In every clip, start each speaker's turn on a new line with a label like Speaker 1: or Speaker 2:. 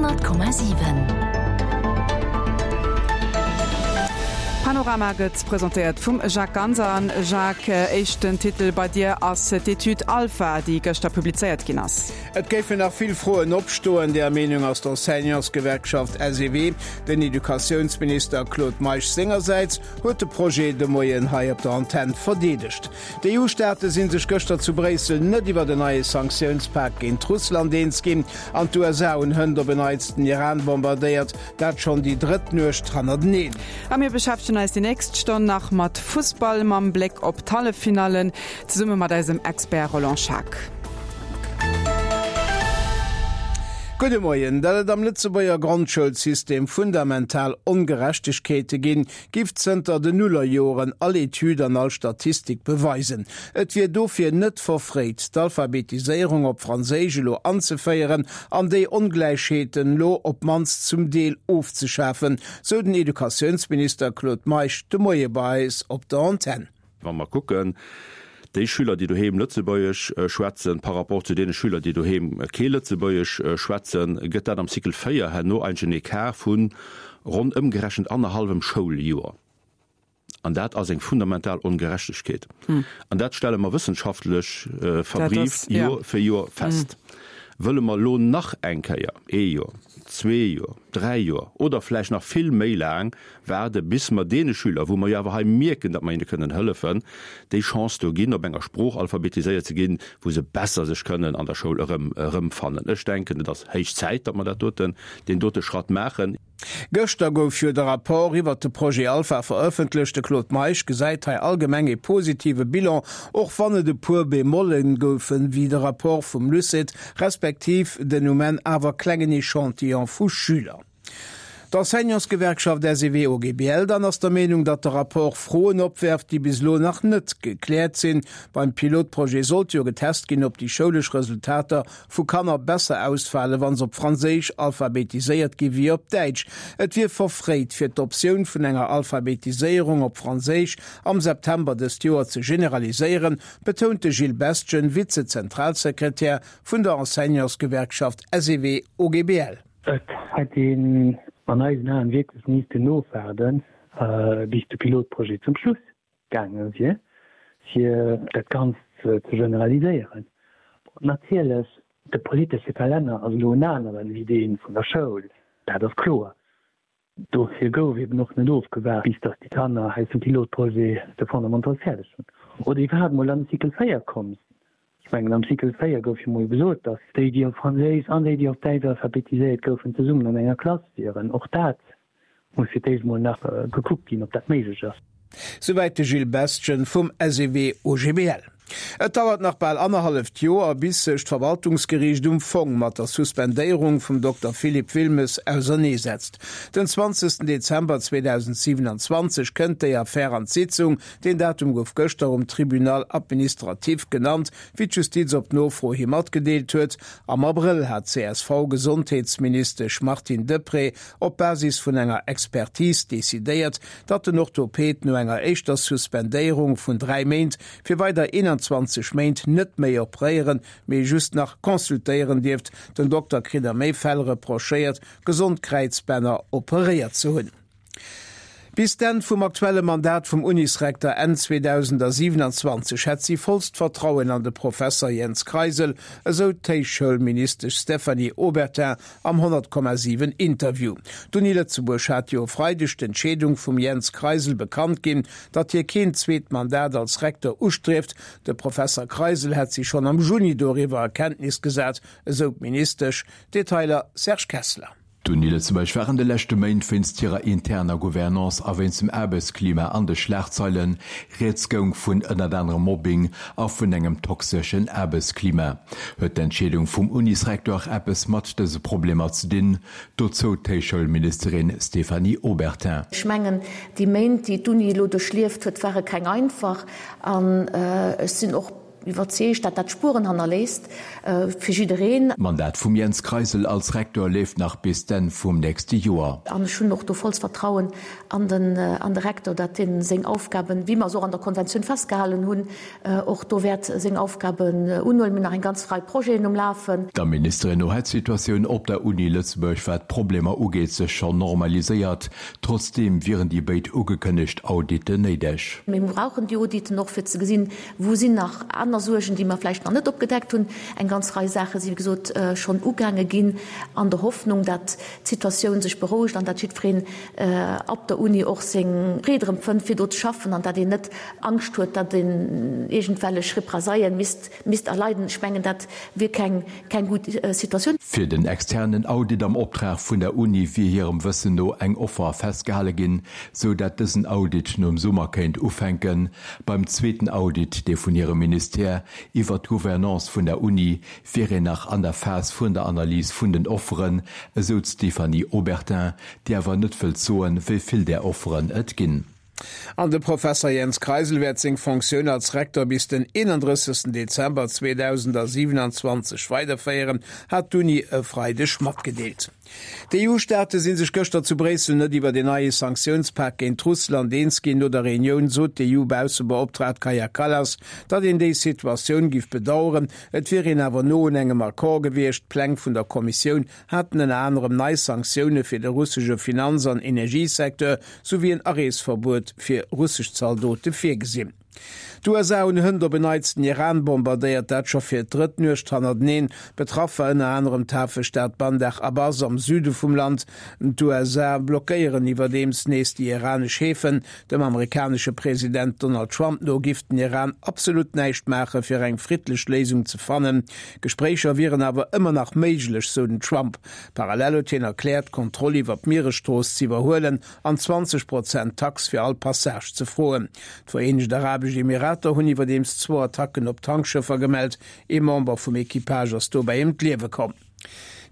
Speaker 1: 100,7.
Speaker 2: Panorama gëtt presentéiert vum Jacques Ganser. An Jacques, éischten Titel bei dir ass d'Etüd Alpha, déi gëschter publizéiert ginn ass.
Speaker 3: Et géifen nach vill Froen opstoen, där Meenung ass d'Enseignantsgewerkschaft SEW. Den Educatiounsminister Claude Meisch sengersäits huet de Projet de Moien hei op der Antenn verdeedegt. D'EU-Staate si sech gëschter zu Bréissel net iwwert en neie Sanktiounspak géint Russland eens ginn an d'USA hunn hënt op en Neits den Iran bombardéiert, dat schonn déi drëtt Nuecht hannerteneen.
Speaker 2: A mir beschäftegen eis déi nächst Stonn nach mat Fussball mam Bléck op d'Halleffinallen, zesumme mat eisem Expert Roland Schaack.
Speaker 3: Gudde Moien. Datt et am Lëtzebuerger Grondschoulsystem fundamental Ongerechtegkeete ginn, giff zënter den Nullerjoren all Etüd an all Statistik beweisen. Et wier dofir net verfréit, d'Alphabetiséierung op Franséisch elo anzeféieren an déi Ongläichheeten elo op d'mannst zum Deel ofzeschafen, sou den Educatiounsminister Claude Meisch de Moie bei eis op der Antenn.
Speaker 4: Wa mer kucken, déi Schüler, déi doheem Lëtzebuergesch schwätzen, par rapport zu deene Schüler, déi doheem kee Lëtzebuergesch schwätzen, gëtt dat am Cycle 4 herno eigentlech en Ecart vu ronn ëmgerechent annerhallwem Schouljoer. An dat ass eng fundamental Ongerechtegkeet. An dat stelle mer wëssenschaftlech verbrieft Joer fir Joer fest. Wëlle mer elo nach eng Kéier ee Joer, zwee Joer, dräi Joer oder vläicht nach vill méi laang Waarde bis mer deene Schüler, wou mer jo awer hei mierken, datt mer hinne kënnen hëllefen, déi Chance do ginn, op enger Sprooch alphabetiséiert ze ginn, wou se besser sech kënnen an der Schoul erëm erëmfannen. Ech denken, et ass héich Zäit, datt mer dat doten, deen dote Schratt maachen.
Speaker 3: Gëschter gouf jo de Rapport iwwert de Projet Alpha verëffentlecht. De Claude Meisch gesäit hei allgemeng ee positive Bilan, och wann et e puer Bemolle goufen, wéi de Rapport vum LUCET, respektiv den um Enn awer klengen Echantillon vu Schüler. D'Enseignantsgewerkschaft SEW-OGBL dann ass der Meenung, datt de Rapport Froen opwerft, déi bis elo nach net gekläert sinn. Beim Pilotprojet sollt jo getest ginn, ob déi schoulesch Resultater vu Kanner besser ausfalen, wa se op Franséisch alphabetiséiert gi wéi op Däitsch. Et wier verfréit, fir d'Optioun vun enger Alphabetiséierung op Franséisch am September dëst Joer ze generaliséieren, betount de Gilles Bestgen, Vize-Zentralsekretär vun der Enseignantsgewerkschaft SEW-OGBL.
Speaker 5: Et hätt een an eisen Aen wierklech missten ofwaarden, bis de Pilotprojet zum Schluss gaange wier, fir dat Ganzt ze generaliséieren. Natierlech, de politesche Kalenner ass elo en aneren wéi dee vun der Schoul, dat ass kloer. Dofir gouf eben och net ofgewaart, bis datt déi Kanner aus dem Pilotprojet de Fondamental fäerdeg hunn oder iwwerhaapt mol an de Cycle 4 komm sinn. Ech mengen, am Cycle 4 gouf jo mol gesot, datt déi, déi op Franséisch an déi, déi op Däitsch alphabetiséiert goufen, zesummen an enger Klass wieren. Och dat muss fir d'éischt mol nach gekuckt ginn, ob dat méiglech ass.
Speaker 3: Souwäit de Gilles Bestgen vum SEW-OGBL. Et dauert nach bal annerhalleft Joer, bis sech d'Verwaltungsgeriicht um Fong mat der Suspendéierung vum Dokter Philippe Wilmes auserneesetzt. Den 20 Dezember 2027 kënnt déi Affär an d'Sitzung. Deen Datum gouf gëschter um Tribunal administratif genannt, wéi d'Justiz op Nofro hi matgedeelt huet. Am Abrëll hat d'CSV-Gesondheetsministesch Martine Deprez op Basis vun enger Expertise decidéiert, datt den Orthoped no enger éischter Suspendéierung vun 3 Méint fir weider 21 Méint net méi operéieren, mee just nach consultéieren dierft. Den Dokter kritt a méi Fäll reprochéiert, gesond Kräizbänner operéiert ze hunn. Bis d'Enn vum aktuelle Mandat vum Unisrekter Enn 2027 hätt si vollst Vertrauen an de Professer Jens Kreisel, esou d'Héichschoulministesch Stéphanie Obertin am 100,7 Interview. D'Uni Lëtzebuerg hat jo e Freideg d'Entscheedung vum Jens Kreisel bekannt ginn, datt hie keen zweet Mandat als Rektor ustrieft. De Professer Kreisel hätt si schonn am Juni doriwwer a Kenntnis gesat, esou d'Ministesch. Detailer Serge Kessler.
Speaker 6: D'Uni Lëtzebuerg war an de leschte Méint wéinst hirer interner Gouvernance a wéinst dem Aarbechtsklima an de Schlagzeilen. Rieds goung vun ënnert anerem Mobbing a vun engem toxeschen Aarbechtsklima. Huet d'Entscheedung vum Unisrecteur eppes mat dëse Problemer ze dinn? Dozou d'Héichschoulministerin Stéphanie Obertin.
Speaker 7: Ech mengen, déi Méint, déi d'Uni elo duerchlieft huet, ware keng einfach. An ech sinn och.
Speaker 1: Iwwerzeegt, dat dat Spueren hannerléisst fir jiddereen.
Speaker 6: D'Mandat vum Jens Kreisel als Rektor leeft nach bis d'Enn vum nächste Joer.
Speaker 1: An ech hunn och do vollst Vertrauen an den an de Rektor, dat dee seng Aufgaben, wéi mer se och an der Konventioun festgehalen hunn, och do wäert seng Aufgaben unhuelen. Mir hunn nach eng ganz Rei Projeten um Lafen.
Speaker 6: Der Ministerin no hätt d'Situatioun op der Uni Lëtzebuerg, wat d'Problemer ugeet, sech schonn normaliséiert. Trotzdeem wieren déi béid ugekënnegt Auditen néideg.
Speaker 1: Mir brauchen déi Auditen och, fir ze gesinn, Wou sinn nach aner Suergen, déi mer vläicht nach net opgedeckt hunn? Eng ganz Rei Saache si wéi gesot schonn ugaange ginn, an der Hoffnung, dat d'Situatioun sech berouegt an dat jiddwereen op der Uni och seng Freed erëm fënnt, fir do ze schaffen, an dat een net Angscht huet, dat een iergendwellech Represaillen misst misst erleiden. Ech mengen, dat wier keng keng gutt Situatioun.
Speaker 6: Fir den externen Audit am Optrag vun der Uni wier hirem Wëssen no eng Offer festgehale ginn, sou dat dësen Audit nom Summer kéint ufänken. Beim zweeten Audit, dee vun hirem Ministère, iwwert d'Gouvernance vun der Uni, wier een nach an der Phas vun der Analys vun den Offeren, esou d'Stéphanie Obertin, déi awer net wëllt soen, wéi vill där Offeren et ginn.
Speaker 3: An de Professer Jens Kreisel wäert seng Fonctioun als Rektor bis den 31. Dezember 2027 weiderféieren, hat d'Uni e Freideg matgedeelt. D'EU-Staate si sech gëschter zu Bréissel net iwwert een neie Sanktiounspak géint Russland eens ginn. No der Reunioun sot d'EU-Baussebeoptraagt Kaja Kallas, datt een déi Situatioun giff bedaueren. Et wier een awer no un engem Accord gewiescht. D'Pläng vun der Kommissioun haten ënner anerem nei Sanktioune fir de russesche Finanz an Energiesecteur souwéi en Areesverbuet fir russesch Zaldote virgesinn. D'USA hunn hënt op en Neits den Iran bombardéiert, dat scho fir d'drëtt Nuecht hannerteneen. Betraff war ënner anerem d'Hafestad Bandar Abbas am Süde vum Land. D'USA blockéieren iwwerdeems nees déi iranesch Häfen. Dem amerikanesche President Donald Trump no giff den Iran absolut näischt maache fir eng friddlech Léisung ze fannen. Gespréicher wieren awer ëmmer nach méiglech, sou den Trump. Parallel huet hien erkläert, d'Kontroll iwwer d'Mieresstrooss z'iwwerhuelen an 20 Prozent Tax fir all Passage ze froen. D'Vereenegt Arabesch Emirater hunn iwwerdeems zwou Attacken op Tankschëffer gemellt. Ee Member vum Equipage ass dobäi ëm d'Liewe komm.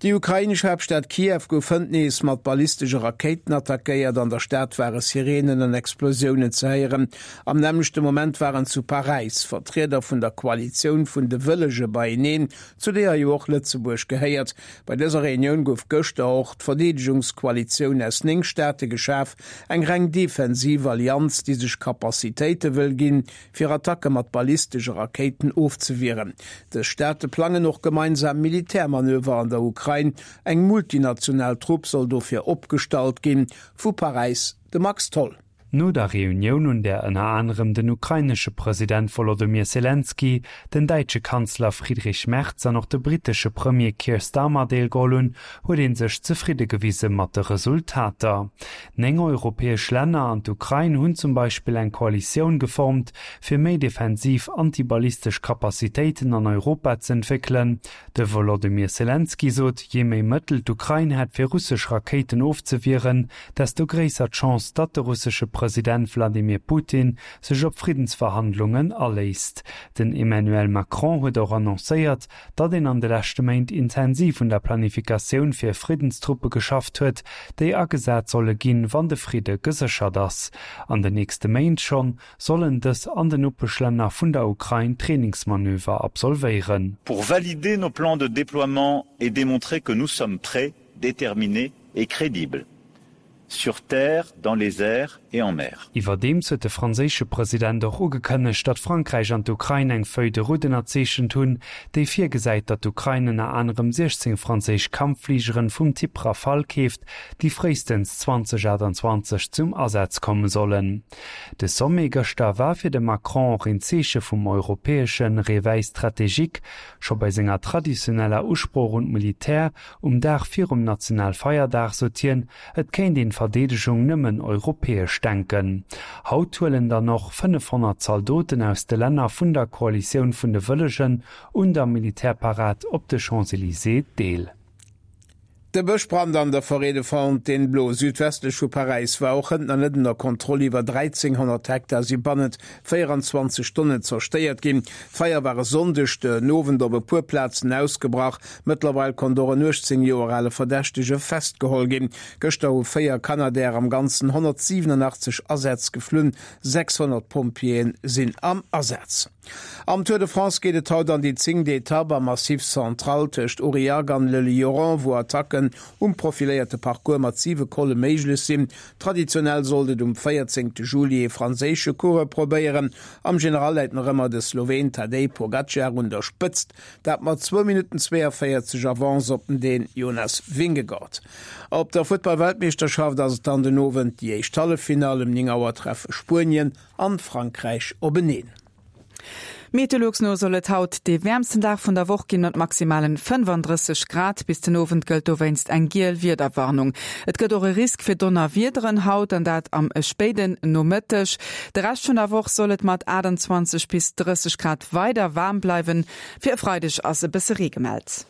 Speaker 3: Déi ukrainesch Haaptstad Kiew gouf hënt nees mat ballistesche Rakéiten attackéiert. An der Stad ware Sireenen an Explosiounen ze héieren. Am nämmlechte Moment waren zu Paräis Vertrieder vun der Koalitioun vun de Wëllege beieneen, zu deeër jo och Lëtzebuerg gehéiert. Bei dëser Reunioun gouf gëschter och d'Verdeedegungskoalitioun aus 9 Staate geschaf, eng reng defensiv Allianz, déi sech Capacitéite wëll ginn, fir Attacke mat ballistesche Rakéiten ofzewieren. Dës Staate plangen och gemeinsam Militärmanöver an der Ukrain. Eng multinational Trupp soll dofir opgestallt ginn. Vu Paräis de Max Tholl.
Speaker 7: No der Reunioun, un där ënner anerem den ukrainesche President Wolodymyr Selenskyj, den däitsche Kanzler Friedrich Merz an och de brittesche Premier Keir Starmer deelgeholl hunn, huet ee sech zefridde gewise mat de Resultater. 9 europäesch Länner an d'Ukrain hunn zum Beispill eng Koalitioun geformt, fir méi defensiv antiballistesch Capacitéiten an Europa z'entwéckelen. De Wolodymyr Selenskyj sot, jee méi Mëttel d'Ukrain hätt fir russesch Rakéiten ofzewieren, desto gréisser d'Chance, datt de russesche President Wladimir Putin sech op Friddensverhandlungen aléisst. Den Emmanuel Macron huet och annoncéiert, datt een an de leschte Méint intensiv un der Planifikatioun fir Friddenstruppe geschafft huet, déi agesat solle ginn, wann de Fridde geséchert ass. An den nächste Méint schonn sollen dës an den Nopeschlänner vun der Ukrain Trainingsmanöver absolvéieren.
Speaker 8: Pour valider nos plans de déploiement et démontrer que nous sommes prêts, déterminés et crédibles sur terre, dans les airs et en mer.
Speaker 7: Iwwerdeems huet de franséische President och ugekënnegt, datt Frankräich an d'Ukrain eng Feuille de route ënnerzeechent hunn, déi virgesäit, datt d'Ukrain ënner anerem 16 franséisch Kampffligeren vum Typ Rafale keeft, déi fréistens 2028 zum Asaz komme sollen. De Sommet gëschter war fir de Macron och een Zeeche vum europäesche Réveil stratégique. Scho bei senger traditioneller Usprooch un d'Militär um Dag virum Nationalfeierdag sot hien, et kéint een d'Verdeedegung nëmmen europäesch denken. Haut huelen dann och 500 Zaldoten aus de Länner vun der Koalitioun vun de Wëllegen un der Militärparad op de Champs-Elysées deel.
Speaker 3: De Bëschbrand an der Forêt de Fontainebleau, südwestlech vu Paräis, war och hënt nach net ënner Kontroll. Iwwer 1.300 Hektar si bannent 24 Stonnen zerstéiert ginn. D'Feier war e Sonndeg den Owend op e puer Plazen ausgebrach. Mëttlerweil konnt och en 18 Joer ale Verdächtege festgeholl ginn. Gëschter hu 4 Canadair am Ganzen 187 Asätz geflunn, 600 Pompjeeë sinn am Asaz. Am Tour de France geet et haut an déi zéngt Etapp am Massif Central tëscht Aurillac an Le Lioran, wou Attacken um profiléierte Parcours mat siwe Colle méiglech sinn. Traditionell sollt et um 14 Juli ee franséische Coureur probéieren. Am General läit nach ëmmer de Sloween Tadej Pogacar un der Spëtzt, dat mat zwou Minutten 42 Avance op den Dän Jonas Vingegaard. Op der Futtball-Weltmeeschterschaft ass et dann den Owend déi éischt Halleffinall. Um 9 Auer treffe Spuenien an Frankräich openeen.
Speaker 2: Meteolux no soll et haut dee wäermsten Dag vun der Woch ginn, mat maximalen 35 Grad. Bis den Owend gëllt dowéinst eng giel Wiederwarnung. Et gëtt och e Risk fir Donnerwiederen haut, an dat am spéiden Nomëtteg. De Rescht vun der Woch soll et mat 28 bis 30 Grad weider waarm bleiwen. Fir e Freideg ass e bësse Ree gemellt.